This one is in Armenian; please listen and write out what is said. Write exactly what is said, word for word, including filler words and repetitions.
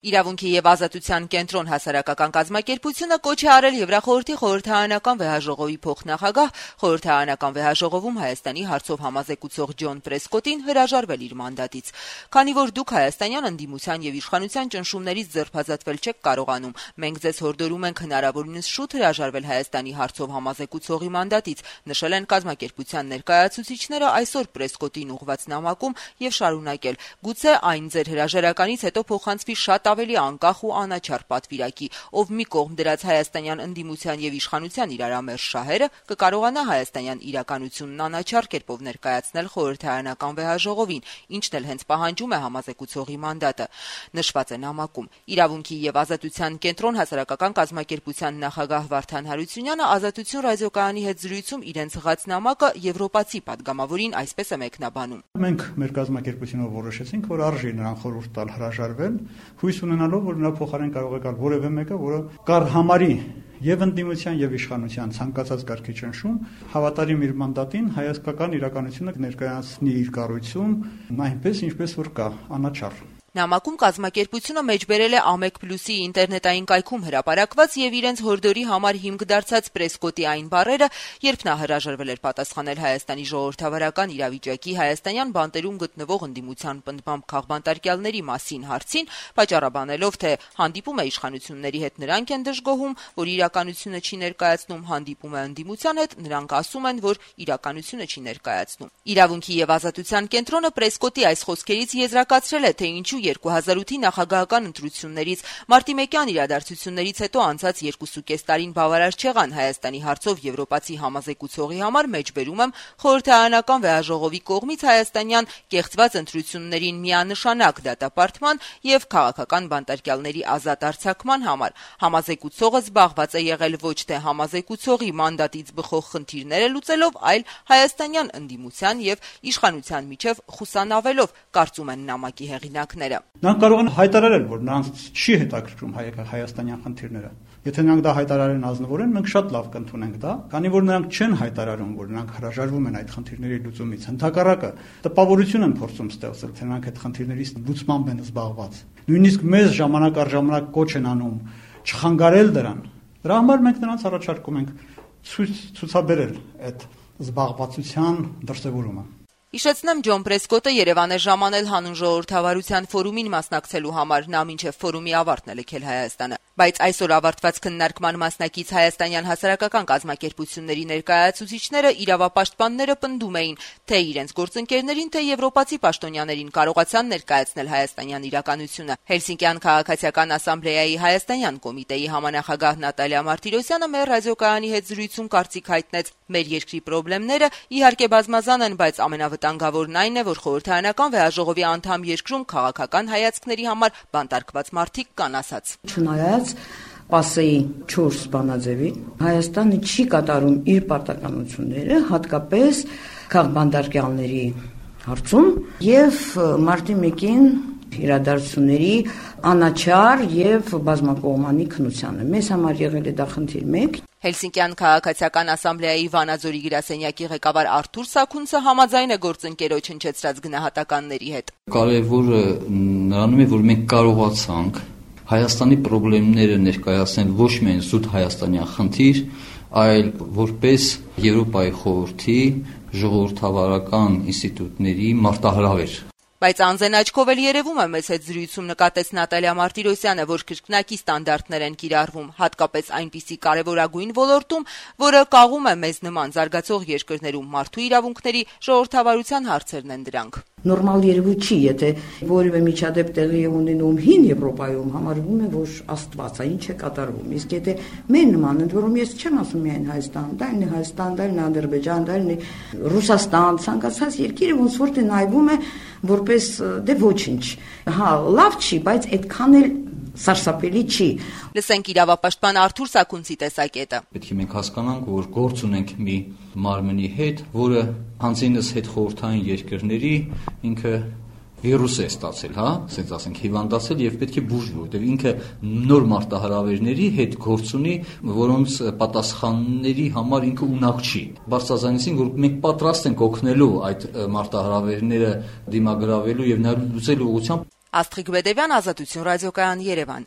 Իրավունքի եւ ազատության կենտրոն հասարակական կազմակերպությունը կոչ է արել Եվրախորհրդի խորհրդարանական վեհաժողովի փոխնախագահ խորհրդարանական վեհաժողովում Հայաստանի հարցով համազեկուցող Ջոն Պրեսկոտին հրաժարվել իր մանդատից։ Քանի որ դուք հայաստանյան ընդդիմության եւ իշխանության ճնշումներից ձերբազատվել չեք կարողանում, մենք ձեզ հորդորում ենք հնարավորինս շուտ հրաժարվել Հայաստանի հարցով համազեկուցողի մանդատից, նշել են կազմակերպության ներկայացուցիչները այսօր Պրեսկոտին ուղղված նամակում եւ շարունակել. գուցե այն ձեր հրաժարականից հետո փոխանցվի շատ ավելի անկախ ու անաչառ պատվիրակի, ով մի կողմ դրած հայաստանյան ընդդիմության եւ իշխանության իրարամերժ շահերը կկարողանա հայաստանյան իրականությունն անաչառ կերպով ներկայացնել խորհրդարանական վեհաժողովին, ինչն էլ հենց պահանջում է համազեկուցողի մանդատը։ Նշված է նամակում։ Իրավունքի եւ ազատության կենտրոն հասարակական կազմակերպության նախագահ Վարդան Հարությունյանը Ազատություն ռադիոկայանի հետ զրույցում իրենց հղած նամակը եվրոպացի падգամավորին այսպես է մեկնաբանում. Մենք մեր կազմակերպությունով որոշեցինք, որ արժի նրան խորհուրդ տալ հրաժարվել, հույս ունենալով, որ նրա փոխարեն կարող է գալ որևէ մեկը, որը կար համարի եւ ընդդիմության եւ իշխանության ցանկացած կարգի ճնշում, հավատարիմ իր մանդատին հայաստանական իրականությունը ներկայացնի իր կառույցում, այնպես ինչպես որ կա, անաչառ։ Նամակում կազմակերպությունը մեջբերել է Ամեկ Պլյուսի ինտերնետային կայքում հրապարակված եւ իրենց հորդորի համար հիմք դարձած Պրեսկոտի այն բառերը, երբ նա հրաժարվել էր պատասխանել Հայաստանի ժողովրդավարական իրավիճակի հայաստանյան բանտերում գտնվող ընդդիմության պնդմամբ քաղբանտարկյալների մասին հարցին, պատճառաբանելով, թե հանդիպում է իշխանությունների հետ նրանք են դժգոհում, որ իրականությունը չի ներկայացնում, հանդիպում է ընդդիմության հետ, նրանք ասում են, որ իրականությունը չի ներկայացնում։ Իրավունքի եւ ազատության կենտրոնը Պրեսկոտի այս խոսքերից եզրակացրել է, թե ինչու երկու հազար ութի նախագահական ընտրություններից մարտի մեկյան իրադարձություններից հետո անցած երկուսուկես տարին բավարար չեղան Հայաստանի հարցով եվրոպացի համազեկուցողի համար մեջբերում եմ խորհրդարանական վեհաժողովի կողմից հայաստանյան կեղծված ընտրություններին միանշանակ դատապարտման եւ քաղաքական բանտարկյալների ազատ արձակման համար։ Համազեկուցողը զբաղված է եղել ոչ թե համազեկուցողի մանդատից բխող խնդիրները լուծելով, այլ հայաստանյան ընդդիմության եւ իշխանության միջև խուսանավելով, կարծում են նամակի հեղինակները։ Նրանք կարող են հայտարարել, որ նրանց չի հետաքրքրում հայաստանյան խնդիրները։ Եթե նրանք դա հայտարարեն ազնվորեն, մենք շատ լավ կընդունենք դա, քանի որ նրանք չեն հայտարարում, որ նրանք հրաժարվում են այդ խնդիրների լուծումից։ Ընդհակառակը տպավորություն են փորձում ստեղծել, թե նրանք այդ խնդիրների լուծմամբ են զբաղված։ Նույնիսկ մեզ ժամանակ առ ժամանակ կոչ են անում չխանգարել դրան։ Դրա համար մենք նրանց առաջարկում ենք ցուցաբերել այդ զբաղվածության դրսևորումը։ Իշեցնեմ, Ջոն Պրեսկոտը Երևան է ժամանել հանուն ժողովրդավարության ֆորումին մասնակցելու համար, նա մինչև ֆորումի ավարտն է լքել Հայաստանը։ Բայց այսօր ավարտված քննարկման մասնակից հայաստանյան հասարակական կազմակերպությունների ներկայացուցիչները իրավապաշտպանները պնդում էին, թե իրենց գործընկերներին, թե եվրոպացի պաշտոնյաներին կարողացան ներկայացնել հայաստանյան իրականությունը։ Հելսինկյան քաղաքացիական ասամբլեայի հայաստանյան կոմիտեի համանախագահ Նատալիա Մարտիրոսյանը մեր ռադիոկայանի հետ զրույցում կարծիք հայտնեց. մեր երկրի խնդիրները իհարկե բազմազան են, բայց ամենավտանգավորն այն է, որ խորհրդարանական վեհաժողովի անդամ երկրում քաղաքական հայացքների համար բանտարկված մարդիկ կան ասաց։ Չնայած Պասեի չորս բանաձևի Հայաստանը չի կատարում իր պարտականությունները, հատկապես քաղբանտարկյալների հարցում եւ մարտի մեկին իրադարձությունների անաչառ եւ բազմակողմանի քննությանը։ Մեզ համար եղել է դա խնդիր մեկ։ Հելսինկյան քաղաքացիական ասամբլեայի Վանաձորի գրասենյակի ղեկավար Արթուր Սաքունցը համաձայն է գործընկերոջ հնչեցրած գնահատականների հետ։ Կարևորը նրանում է, որ մենք կարողացանք Հայաստանի խնդիրները ներկայացնել ոչ միայն զուտ հայաստանյան խնդիր, այլ որպես Եվրոպայի խորհրդի ժողովրդավարական ինստիտուտների մարտահրավեր։ Բայց անզեն աչքով էլ երևում է մեզ հետ զրույցում նկատեց Նատալիա Մարտիրոսյանը, որ կրկնակի ստանդարտներ են կիրառվում, հատկապես այնպիսի կարևորագույն ոլորտում, որը կաղում է մեզ նման զարգացող երկրներում մարդու իրավունքների ժողովրդավարության հարցերն են դրանք։ Նորմալ երևույթ չի, եթե որևէ միջադեպ տեղի է ունենում հին Եվրոպայում, համարվում է, որ Աստված է, ինչ է կատարվում։ Իսկ եթե մեր նման, ընդ որում ես չեմ ասում միայն Հայաստան, դա είναι Հայաստան, դա είναι Ադրբեջան, դա είναι Ռուսաստան, ցանկացած երկիրը ոնց որ թե նայվում է որպես դե ոչինչ։ Հա, լավ չի, բայց այդքան էլ սարսափելի չի։ Լսենք իրավապաշտպան Արթուր Սաքունցի տեսակետը։ Պետք է մենք հասկանանք, որ գործ ունենք մի մարմնի հետ, որը հանձինս հետ խորհրդային երկրների ինքը վիրուս է ստացել, հա, ասենք ասենք հիվանդացել եւ պետք է բուժվի, որտեղ ինքը նոր մարտահրավերների հետ գործ ունի, որոնց պատասխանների համար ինքը ունակ չի։ Բարձրացանեցին, որ մենք պատրաստ ենք օգնելու այդ մարտահրավերները դիմագրավելու եւ նա լուծելու ուղղությամբ։ Աստղիկ Բեդևյան, Ազատություն ռադիոկայան, Երևան։